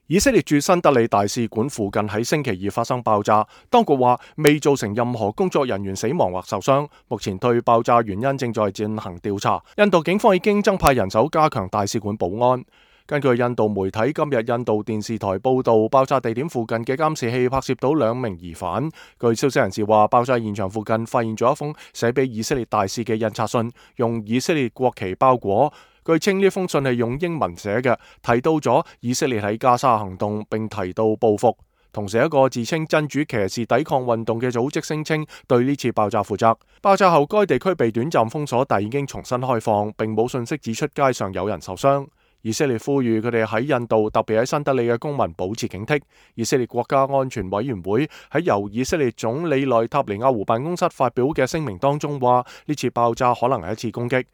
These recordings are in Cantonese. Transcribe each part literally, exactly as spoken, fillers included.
以色列駐新德里大使館附近喺星期二發生爆炸，當局話未造成任何工作人員死亡或受傷，目前對爆炸原因正在進行調查。印度警方已經增派人手加強大使館保安。根據印度媒體今日印度電視台報道，爆炸地點附近嘅監視器拍攝到兩名疑犯。據消息人士話，爆炸現場附近發現咗一封寫俾以色列大使嘅印刷信，用以色列國旗包裹。據稱呢封信係用英文寫嘅，提到咗以色列喺加沙行動，並提到報復。同時，一個自稱真主騎士抵抗運動嘅組織聲稱對呢次爆炸負責。爆炸後，該地區被短暫封鎖，但已經重新開放，並冇信息指出街上有人受傷。以色列呼籲佢哋喺印度，特別喺新德里嘅公民保持警惕。以色列國家安全委員會喺由以色列總理內塔尼亞胡辦公室發表嘅聲明當中話，呢次爆炸可能係一次攻擊。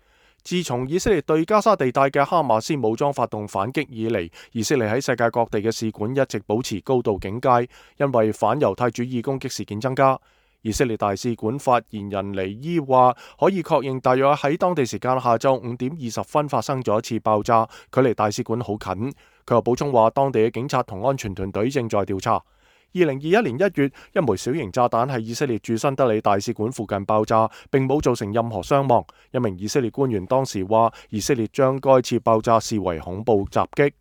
自從以色列對加沙地帶嘅哈馬斯武裝發動反擊以嚟，以色列喺世界各地嘅使館一直保持高度警戒，因為反猶太主義攻擊事件增加。以色列大使館發言人尼伊話，可以確認大約喺當地時間下晝五點二十分發生咗一次爆炸，距離大使館好近。佢又補充話，當地嘅警察同安全團隊正在調查。二零二一年一月，一枚小型炸彈喺以色列駐新德里大使館附近爆炸，並冇造成任何傷亡。一名以色列官員當時話，以色列將該次爆炸視為恐怖襲擊。